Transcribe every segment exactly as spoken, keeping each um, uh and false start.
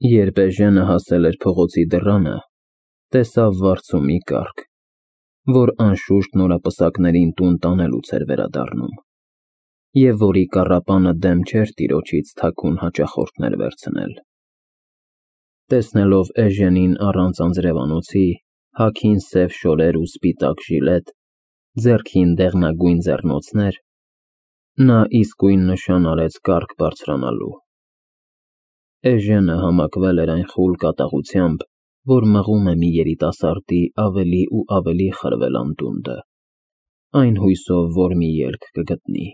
Երբ Էժենը հասել էր փողոցի դռանը, տեսավ վարձու մի կառք, որ անշուշտ նորապսակներին տուն տանելուց էր վերադառնում, և որի կառապանը դեմ չէր տիրոջից թաքուն հաճախորդներ վերցնել։ Տեսնելով Էժենին առանց անձրևանոցի, հագին սև շորեր ու սպիտակ ժիլետ, ձեռքին դեղնագույն ձեռնոցներ, նա իսկույն նշան արեց կառք բարձրանալու։ Էժենը համակվել էր այն խուլ կատաղությամբ, որ մղում է մի երիտասարդի ավելի ու ավելի խրվել անդունդը, այն հույսով, որ մի ելք կգտնի։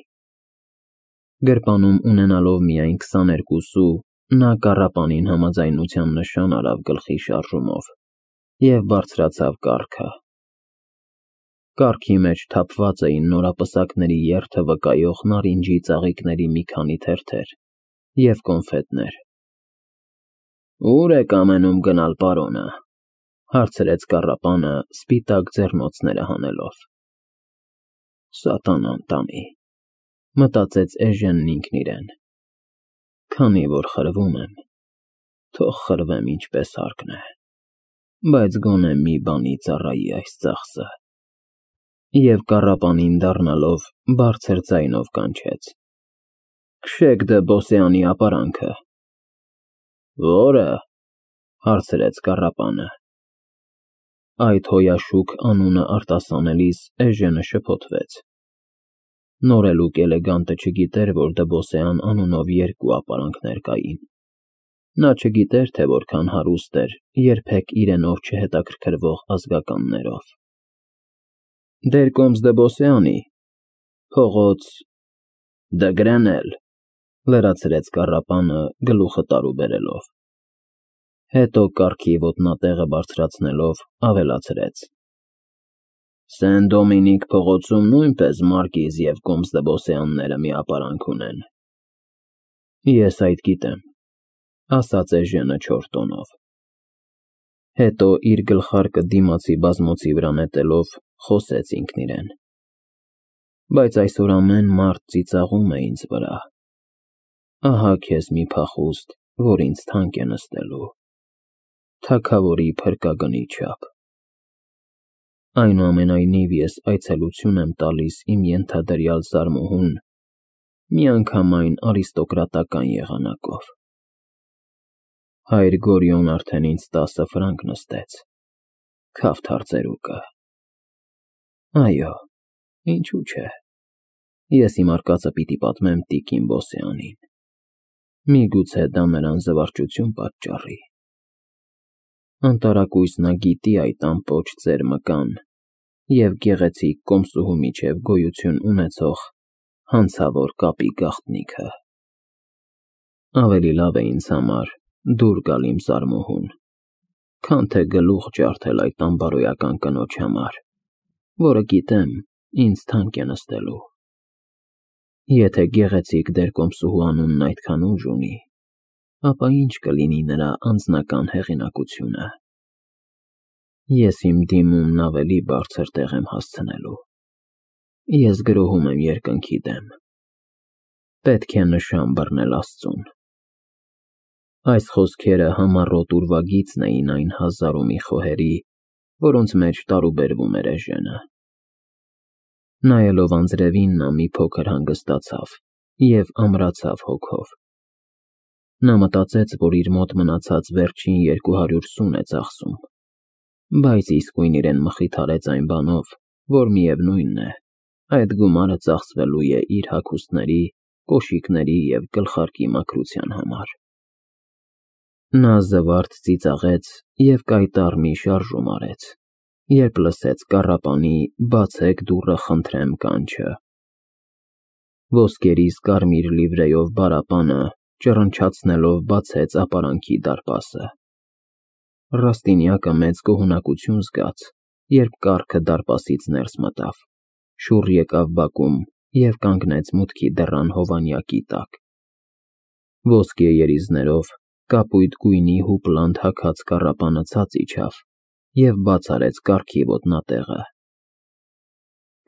Գրպանում ունենալով միայն քսաներկու սու, նա կառապանին համաձայնության նշան արավ գլխի շարժումով և բարձրացավ կառքը։ Կառքի մեջ թափված էին նորապսակների երթը վկայող նարինջի ծաղիկների մի քանի թերթեր և կոնֆետներ։ «Ո՞ւր եք ամենում գնալ, պարոնը,֊ հարցրեց կառապանը, սպիտակ ձեռնոցները հանելով։ «Սատանան տանի,֊ մտածեց Էժենն ինքն իրեն,֊ քանի որ խրվում եմ, թող խրվեմ ինչպես հարկն է, բայց գոնե մի բանի ծառայի այս ծախսը», և կառապանին դառնալով բարձր ձայնով կանչեց. «Քշեք դը Բոսեանի ապարանքը»։ «Ո՞րը,֊ հարցրեց կառապանը։ Այդ հոյաշուկ անունը արտասանելիս Էժենը շփոթվեց։ Նորելուկ էլեգանտը չգիտեր, որ Դբոսեան անունով երկու ապարանքներ կային։ Նա չգիտեր, թե որքան հարուստ էր երբեք իրենով չհետաքրքրվող ազգականներով։ «Դերկոմս Դբոսեանի, փողոց Դգրենել,֊ լրացրեց կառապանը, գլուխը տարու բերելով։ Հետո կառքի ոտնատեղը բարձրացնելով ավելացրեց. «Սեն Դոմինիկ փողոցում նույնպես Մարկիզ և կոմս Դբոսեանները մի ապարանք ունեն»։ «Ես այդ գիտեմ,֊ ասաց Էժենը չոր տոնով։ Հետո իր գլխարկը դիմացի բազմոցի վրա նետելով, խոսեց ինքն իրեն. «Բայց այսօր ամեն մարդ ծիծաղում է ինձ վրա։ Ահա քեզ մի փախուստ, որ ինձ թանկ է նստելու, թագավորի փրկագնի չափ։ Այնուամենայնիվ ես այցելություն եմ տալիս իմ ենթադրյալ զարմուհուն միանգամայն արիստոկրատական եղանակով։ Հայր Գորիոն արդեն ինձ տասը ֆրանկ նստեց, քավթ հարծերուկը։ Այո, ինչու՞ չէ, ես իմ արկածը պիտի պատմեմ տիկին Բոսեանին, միգուցե դա նրան զվարճություն պատճառի։ Անտարակույս նա գիտի այդ ամպոչ ծեր մկան և գեղեցիկ կոմսուհու միջև գոյություն ունեցող հանցավոր կապի գաղտնիքը։ Ավելի լավ է ինձ համար դուր գալ իմ զարմուհուն, քան թե գլուխ ջարդել այդ անբարոյական կնոջ համար, որը գիտեմ ինձ թանկ է նստելու։ Եթե գեղեցիկ դերկոմսուհու անունն այդքան ուժ ունի, ապա ի՞նչ կլինի նրա անձնական հեղինակությունը։ Ես իմ դիմումն ավելի բարձր տեղ եմ հասցնելու։ Ես գրոհում եմ երկնքի դեմ։ Պետք է նշան բռնել Աստծուն»։ Այս խոսքերը համառոտ ուրվագիծն էին այն հազար ու մի խոհերի, որոնց մեջ տարուբերվում էր Էժենը։ Նայելով անձրևին, նա մի փոքր հանգստացավ և ամրացավ հոգով։ Նա մտածեց, որ իր մոտ մնացած վերջին երկու հարյուր սուն է ծախսում, բայց իսկույն իրեն մխիթարեց այն բանով, որ միևնույն է, այդ գումարը ծախսվելու է իր հագուստների, կոշիկների և գլխարկի մաքրության համար։ Նա զվարթ ծիծաղեց և կայտառ մի շարժում արեց, երբ լսեց կառապանի «բացեք դուռը, խնդրեմ» կանչը։ Ոսկերիս կարմիր լիվրեյով բարապանը ճռնչացնելով բացեց ապարանքի դարպասը։ Ռաստինյակը մեծ գոհունակություն զգաց, երբ կառքը դարպասից ներս մտավ, շուռ եկավ բակում և կանգնեց մուտքի դռան հովանյակի տակ։ Ոսկե երիզներով կապույտ գույնի հուպլանդ հագած կառապանը ցած իջավ և բաց արեց կառքի ոտնատեղը։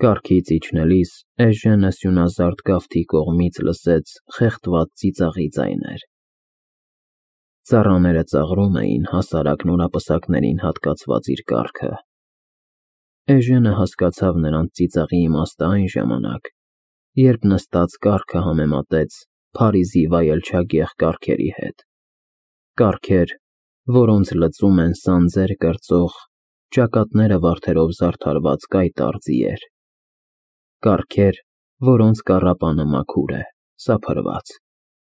Կառքից իջնելիս Էժենը սյունազարդ գավթի կողմից լսեց խեղդված ծիծաղի ձայներ։ Ծառաները ծաղրում էին հասարակ նորապսակներին հատկացված իր կառքը։ Էժենը հասկացավ նրանց ծիծաղի իմաստը այն ժամանակ, երբ նստած կառքը համեմատեց Փարիզի վայելչագեղ կառքերի հետ, կառքեր, որոնց լծում են սանձեր կրծող, ճակատները վարդերով զարդարված կայտառ ձիեր, կառքեր, որոնց կառապանը մաքուր է, սափրված,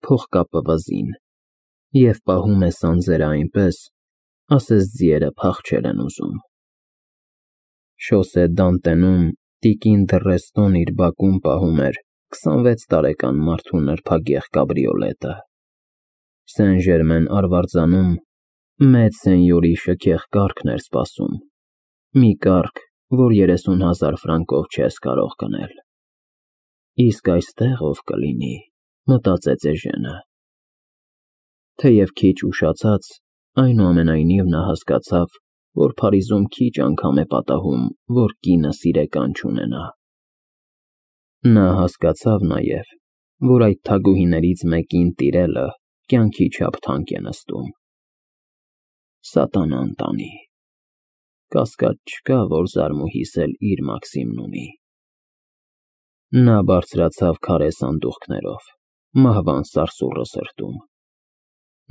փողկապը վզին, և պահում է սանձերը այնպես, ասես ձիերը փախչել են ուզում։ Շոսե Դանտենում տիկին Դռեստոն իր բակում պահում էր քսանվեց տարեկան մարդու նրբագեղ կաբրիոլետը։ Սեն-Ժերմեն արվարձանում մեծ սենյորի շքեղ կառքն էր սպասում, մի կառք, որ երեսուն հազար ֆրանկով չես կարող գնել։ Իսկ այստեղ ով կլինի, մտածեց Էժենը։ Թեև քիչ ուշացած, այնուամենայնիվ նա հասկացավ, որ Փարիզում քիչ անգամ է պատահում, որ կինը սիրեկան չունենա։ Նա հասկացավ նաև, որ այդ թագուհիներից մեկին տիրելը կյանքի չափ թանկ է նստում։ Սատանան տանի։ Կասկած չկա, որ զարմուհիս էլ իր Մաքսիմն ունի։ Նա բարձրացավ քարե սանդուղքներով, մահվան սարսուռը սրտում։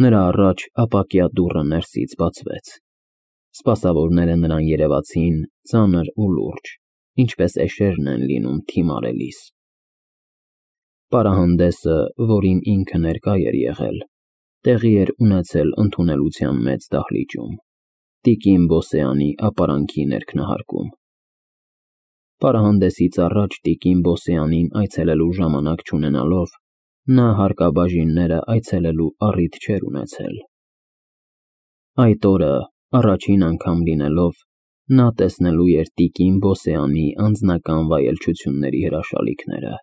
Նրա առաջ ապակյա դուռը ներսից բացվեց։ Սպասավորները նրան երևացին ծանր ու լուրջ, ինչպես էշերն են լինում թիմ արելիս։ Պարահանդեսը, որին ինքը ներկա էր եղել, տեղի էր ունեցել ընդունելության մեծ դահլիճում, տիկին Բոսեանի ապարանքի ներքնահարկում։ Պարահանդեսից առաջ տիկին Բոսեանին այցելելու ժամանակ չունենալով, նա հարկաբաժինները այցելելու առիթ չէր ունեցել։ Այդ օրը, առաջին անգամ լինելով, նա տեսնելու էր տիկին Բոսեանի անձնական վայելչությունների հրաշալիքները,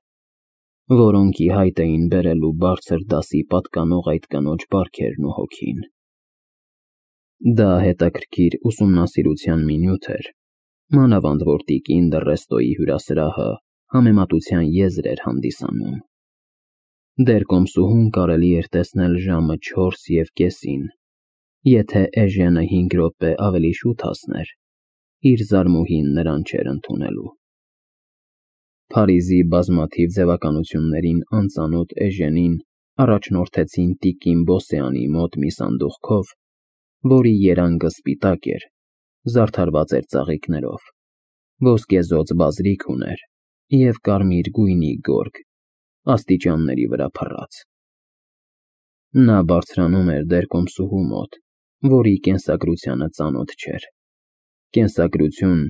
որոնք ի հայտ էին բերելու բարձր դասի պատկանող այդ կնոջ բարքերն ու հոգին։ Դա հետաքրքիր ուսումնասիրության մի նյութ էր, մանավանդ որ տիկին Դռեստոյի հյուրասրահը համեմատության եզր էր հանդիսանում։ Դեռ կոմսուհուն կարելի էր տեսնել ժամը չորս և կեսին, եթե Էժենը հինգ րոպե ավելի շուտ հասներ, իր զարմուհին նրան չէր ընդունելու։ Փարիզի բազմաթիվ ձևականություններին անծանոթ Էժենին առաջնորդեցին տիկին Բոսեանի մոտ մի սանդուղքով, որի երանգը սպիտակ էր, զարդարված էր ծաղիկներով, ոսկեզօծ բազրիք ուներ և կարմիր գույնի գորգ, աստիճանների վրա փռած։ Նա բարձրանում էր դեռ կոմսուհու մոտ, որի կենսագրությանը ծանոթ չէր, կենսագրություն,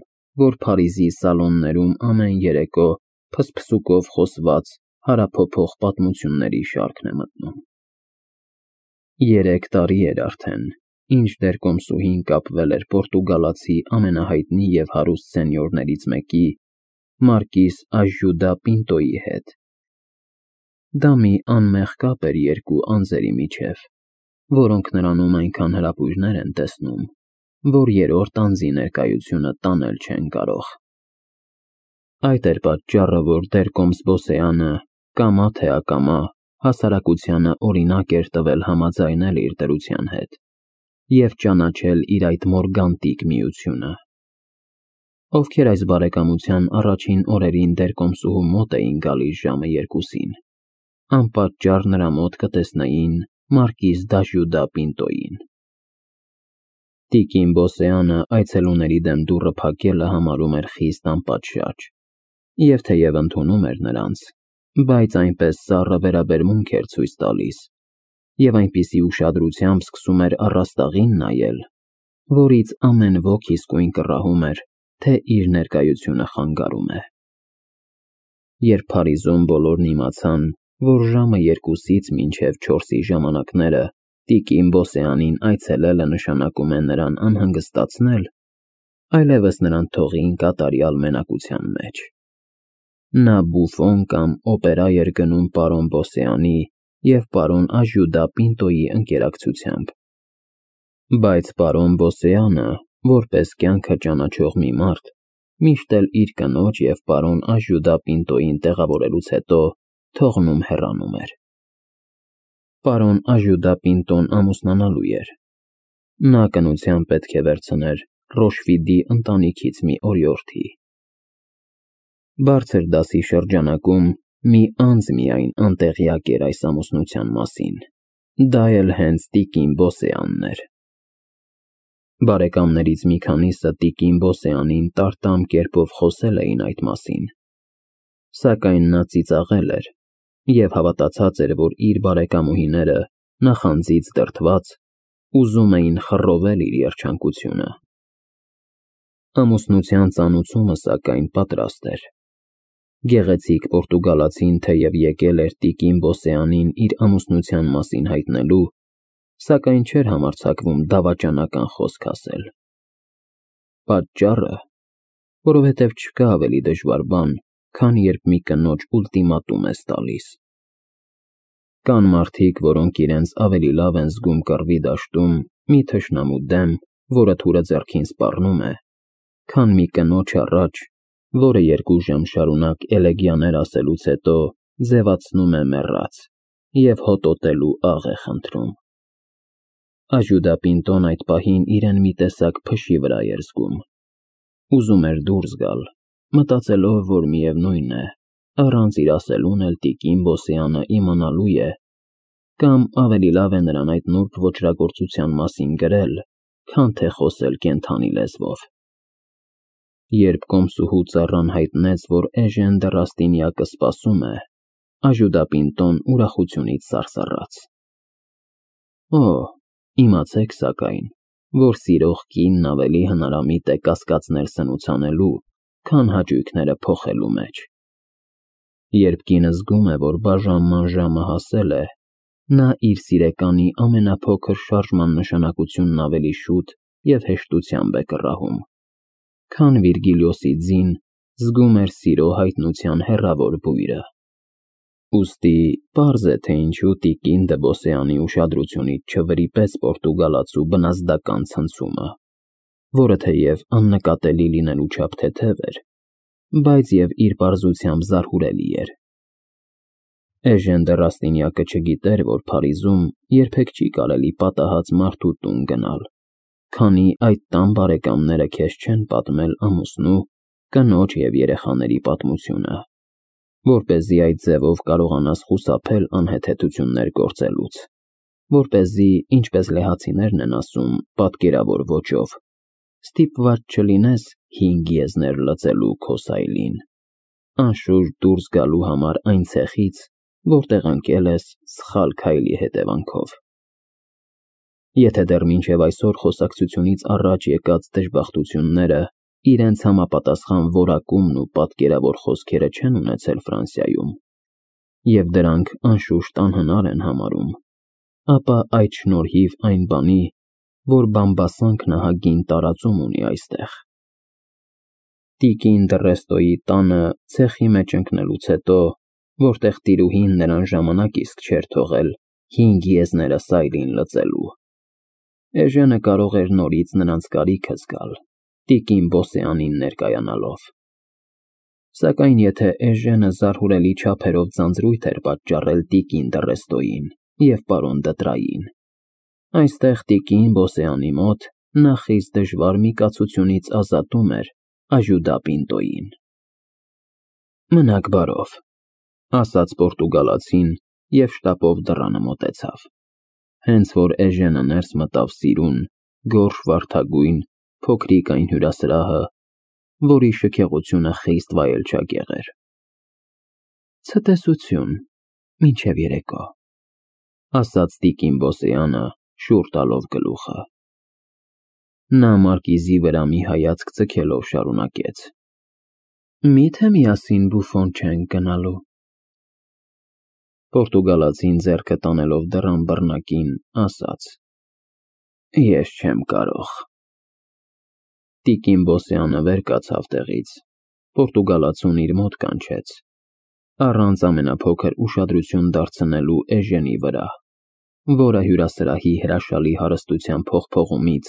որ Փարիզի սալոններում ամեն երեկո փսփսուկով խոսված հարափոփող պատմությունների շարքն է մտնում։ Երեք տարի էր արդեն, ինչ դեռ կոմսուհին կապվել էր պորտուգալացի ամենահայտնի և հարուստ սենյորներից մեկի՝ մարկիս Աժյուդա Պինտոյի հետ։ Դա մի անմեղ կապ էր երկու անձերի միջև, որոնք նրանում այնքան հրապույրներ են տեսնում, որ երրորդ անձի ներկայությունը տանել չեն կարող։ Այդ էր պատճառը, որ դեռ կոմս Բոսեանը, կամա թե ակամա, հասարակությանը օրինակ էր տվել համաձայնել իր դրության հետ և ճանաչել իր այդ մորգանտիկ միությունը։ Ովքեր այս բարեկամության առաջին օրերին դեռ կոմսուհու մոտ էին գալիս ժամը երկուսին, անպատճառ նրա մոտ կտեսնեին մարկիս Դաժյուդա Պինտոյին։ Տիկին Բոսեանը այցելուների դեմ դուռը փակելը համարում էր խիստ անպատշաճ, և թեև ընդունում էր նրանց, բայց այնպես սառը վերաբերմունք էր ցույց տալիս և այնպիսի ուշադրությամբ սկսում էր առաստաղին նայել, որից ամեն ոք իսկույն կռահում էր, թե իր ներկայությունը խանգարում է։ Երբ Փարիզում բոլորն իմացան, որ ժամը երկուսից մինչև չորսի ժամանակները տիկին Բոսեանին այցելելը նշանակում է նրան անհանգստացնել, այլևս նրան թողին կատարյալ մենակության մեջ։ Նա բուֆոն կամ օպերա էր գնում պարոն Բոսեանի և պարոն Աժյուդա Պինտոյի ընկերակցությամբ։ Բայց պարոն Բոսեանը, որպես կյանքը ճանաչող մի մարդ, միշտ էլ իր կնոջ և պարոն Աժյուդա Պինտոյին տեղավորելուց հետո թողնում հեռանում էր։ Պարոն Աժյուդա Պինտոն ամուսնանալու էր։ Նա կնությամբ պետք է վերցներ Ռոշվիդի ընտանիքից մի օրիորդի։ Բարձր դասի շրջանակում մի անձ միայն անտեղյակ էր այս ամուսնության մասին, դա էլ հենց տիկին Բոսեանն էր։ Բարեկամներից մի քանիսը տիկին Բոսեանին տարտամ կերպով խոսել էին այդ մասին, սակայն նա ծիծաղել էր և հավատացած էր, որ իր բարեկամուհիները նախանձից դրդված ուզում էին խռովել իր երջանկությունը։ Ամուսնության ծանուցումը, սակայն, պատրաստ էր։ Գեղեցիկ պորտուգալացին թեև եկել էր տիկին Բոսեանին իր ամուսնության մասին հայտնելու, սակայն չէր համարձակվում դավաճանական խոսք ասել։ Պատճառը, որովհետև չկա ավելի դժվար բան, քան երբ մի կնոջ ուլտիմատում ես տալիս։ Կան մարդիկ, որոնք իրենց ավելի լավ են զգում կռվի դաշտում մի թշնամու դեմ, որը թուրը ձեռքին սպառնում է, քան մի կնոջ առաջ, որը երկու ժամ շարունակ էլեգիաներ ասելուց հետո ձևացնում է մեռած և հոտոտելու աղ է խնդրում։ Աժյուդա Պինտոն այդ պահին իրեն մի տեսակ փշի վրա էր զգում։ Ուզում էր դուրս գալ, մտածելով, որ միևնույն է, առանց իր ասելուն էլ տիկին Բոսեանը իմանալու է, կամ ավելի լավ է նրան այդ նուրբ ոճրագործության մասին գրել, քան թե խոսել կենդանի լեզվով։ Երբ կոմսուհու ծառան հայտնեց, որ Էժեն դը Ռաստինյակը սպասում է, Աժյուդա Պինտոն ուրախությունից սարսռաց։ Օ, իմացեք սակայն, որ սիրող կինն ավելի հնարամիտ է կասկածներ սնուց անելու, քան հաճույքները փոխելու մեջ։ Երբ կինը զգում է, որ բաժանման ժամը հասել է, նա իր սիրեկանի ամենափոքր շարժման նշանակությունն ավելի շուտ և հեշտությամբ է կռահում, քան Վիրգիլիոսի ձին զգում էր սիրո հայտնության հեռավոր բույրը։ Ուստի պարզ է, թե ինչու տիկին դը Բոսեանի ուշադրությունից չվրիպեց պորտուգալացու բնազդական ցնցումը, որը թեև աննկատելի լինելու չափ թեթև էր, բայց և իր պարզությամբ զարհուրելի էր։ Էժեն դը Ռաստինյակը չգիտեր, որ Փարիզում երբեք չի կարելի պատահած մարդու տուն գնալ, քանի այդ տան բարեկամները քեզ չեն պատմել ամուսնու, կնոջ և երեխաների պատմությունը, որպեսզի այդ ձևով կարողանաս խուսափել անհեթեթություններ գործելուց, որպեսզի, ինչպես լեհացիներն են ասում պատկերավոր ոճով, ստիպված չլինես հինգ եզներ լծելու քո սայլին, անշուշտ դուրս գալու համար այն ցեխից, որտեղ ընկել ես սխալ քայլի հետևանքով։ Եթե դեռ մինչև այսօր խոսակցությունից առաջ եկած դժբախտությունները իրենց համապատասխան որակումն ու պատկերավոր խոսքերը չեն ունեցել Ֆրանսիայում, և դրանք անշուշտ անհնար են համարում, ապա այդ շնորհիվ այն բանի, որ բամբասանքն ահագին տարածում ունի այստեղ։ Տիկին դը Ռեստոյի տանը ցեխի մեջ ընկնելուց հետո, որտեղ տիրուհին նրան ժամանակ իսկ չէր թողել հինգ եզները սայլին լծելու, Էժենը կարող էր նորից նրանց կարիքը զգալ, տիկին Բոսեանին ներկայանալով։ Սակայն եթե Էժենը զարհուրելի չափերով ձանձրույթ էր պատճառել տիկին դը Ռեստոյին և պարոն Դտրային, այստեղ տիկին Բոսեանի մոտ նա խիստ դժվար մի կացությունից ազատում էր Աժյուդա Պինտոյին։ Մնաք բարով, ասաց պորտուգալացին և շտապով դռանը մոտեցավ, հենց որ Էժենը ներս մտավ սիրուն, գորշ վարդագույն, փոքրիկ այն հյուրասրահը, որի շքեղությունը խիստ վայելչագեղ էր։ Ցտեսություն, մինչև երեկո, ասաց տիկին Բոսեանը, շուռ տալով գլուխը։ Նա մարկիզի վրա մի հայացք ձգելով շարունակեց. Մի՞թե միասին բուֆոն չենք գնալու։ Պորտուգալացին ձեռքը տանելով դռան բռնակին, ասաց. Ես չեմ կարող։ Տիկին Բոսեանը վեր կացավ տեղից, պորտուգալացուն իր մոտ կանչեց, առանց ամենափոքր ուշադրություն դարձնելու Էժենի վրա, որը հյուրասրահի հրաշալի հարստության փողփողումից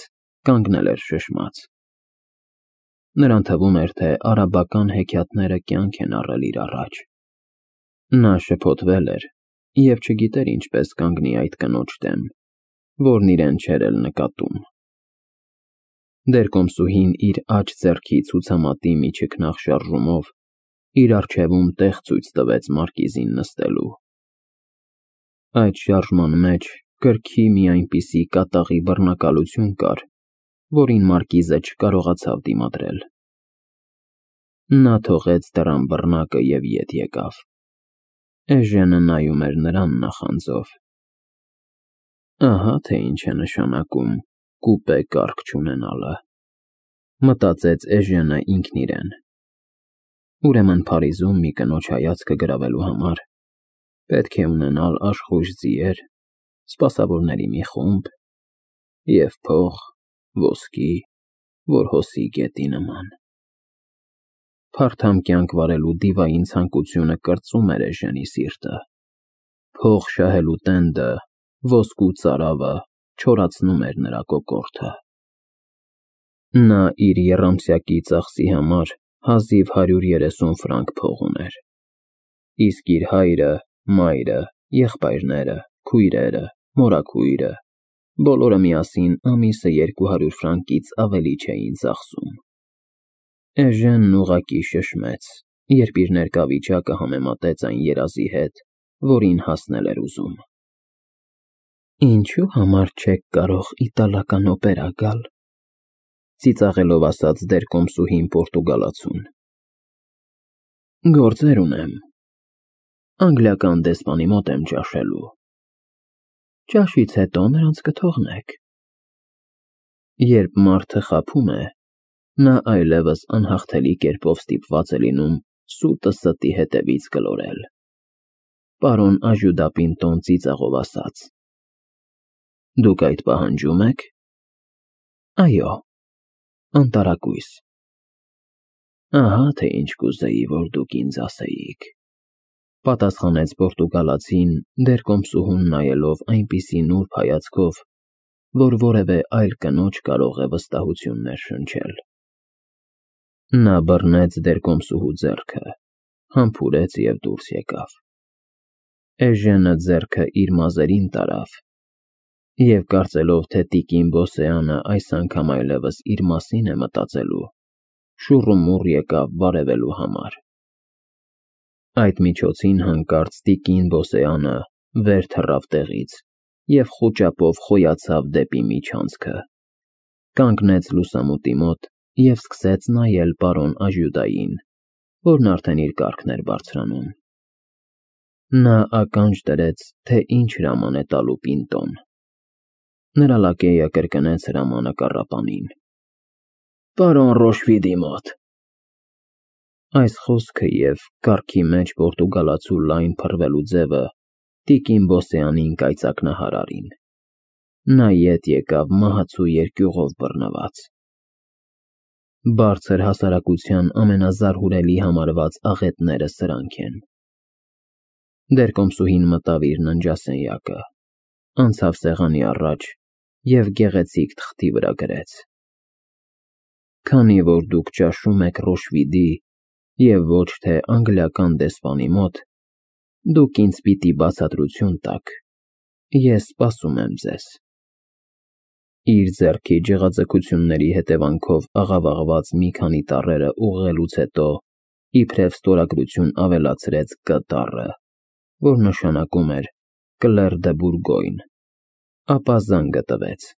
կանգնել էր շշմած։ Նրան թվում էր, թե արաբական հեքիաթները կյանք են առել իր առաջ։ Նա շփոթվել էր և չգիտեր ինչպես կանգնի այդ կնոջ դեմ, որն իրեն չէր էլ նկատում։ Դերկոմսուհին իր աջ ձեռքի ցուցամատի մի չքնաղ շարժումով իր առջևում տեղ ցույց տվեց մարկիզին նստելու։ Այդ շարժման մեջ կրքի մի այնպիսի կատաղի բռնակալություն կար, որին մարկիզը չկարողացավ դիմադրել։ Նա թողեց դռան բռնակը և ետ եկավ։ Էժենը նայում էր նրան նախանձով։ Ահա թե ինչ է նշանակում կուպե կառք չունենալը, մտածեց Էժենը ինքն իրեն։ Ուրեմն Փարիզում մի կնոջ հայացքը գրավելու համար պետք է ունենալ աշխույժ ձիեր, սպասավորների մի խումբ և փող, ոսկի, որ հոսի գետի նման։ Փարթամ կյանք վարելու դիվային ցանկությունը կրծում էր Էժենի սիրտը։ Փող շահելու տենդը, ոսկու ծարավը չորացնում էր նրա կոկորդը։ Նա իր եռամսյակի ծախսի համար հազիվ հարյուր երեսուն ֆրանկ փող ուներ, իսկ իր հայրը, մայրը, եղբայրները, քույրերը, մորաքույրը բոլորը միասին ամիսը երկու հարյուր ֆրանկից ավելի չէին ծախսում։ Էժենն ուղղակի շշմեց, երբ իր ներկա վիճակը համեմատեց այն երազի հետ, որին հասնել էր ուզում։ Ինչու համար չեք կարող իտալական օպերա գալ, ծիծաղելով ասաց դերկոմսուհին պորտուգալացուն։ Գործեր ունեմ, անգլիական դեսպանի մոտ եմ ճաշելու։ Ճաշից հետո նրանց կթողնեք։ Երբ մարդը խաբում է, նա այլևս անհաղթելի կերպով ստիպված է լինում սուտը ստի հետևից գլորել, պարոն Աժուդապինտոն ծիծաղով ասաց։ Դուք այդ պահանջում եք։ Այո, անտարակույս։ Ահա թե ինչ կուզեի, որ դուք ինձ ասեիք, պատասխանեց պորտուգալացին դերկոմսուհուն նայելով այնպիսի նուրբ հայացքով, որ որևէ այլ կնոջ կարող է վստահություն ներշնչել։ Նա բռնեց դերկոմսուհու ձեռքը, համբուրեց և դուրս եկավ։ Էժենը ձեռքը իր մազերին տարավ և, կարծելով, թե տիկին Բոսեանը այս անգամ այլևս իր մասին է մտածելու, շուռումուռ եկավ բարևելու համար։ Այդ միջոցին հանկարծ տիկին Բոսեանը վեր թռավ տեղից և խուճապով խոյացավ դեպի միջանցքը, կանգնեց լուսամուտի մոտ և սկսեց նայել պարոն Աժյուդային, որն արդեն իր կառքն էր բարձրանում։ Նա ականջ դրեց, թե ինչ հրաման է տալու Պինտոն։ Նրա լակեյը կրկնեց հրամանը կառապանին։ Պարոն Ռոշվիդի մոտ։ Այս խոսքը և կառքի մեջ պորտուգալացու լայն փռվելու ձևը տիկին Բոսեանին կայծակնահար արին։ Նա ետ եկավ մահացու երկյուղով բռնված։ Բարձր հասարակության ամենազարհուրելի համարված աղետները սրանք են։ Դերկոմսուհին մտավ իր ննջասենյակը, անցավ սեղանի առաջ և գեղեցիկ թղթի վրա գրեց. Քանի որ դուք ճաշում եք Ռոշվիդի և ոչ թե անգլիական դեսպանի մոտ, դուք ինձ պիտի բացատրություն տաք, ես սպասում եմ ձեզ։ Իր ձեռքի ջղաձգությունների հետևանքով աղավաղված մի քանի տառերը ուղղելուց հետո իբրև ստորագրություն ավելացրեց Կ տառը, որ նշանակում էր Կլեր դը Բուրգոյն, ապա զանգը տվեց։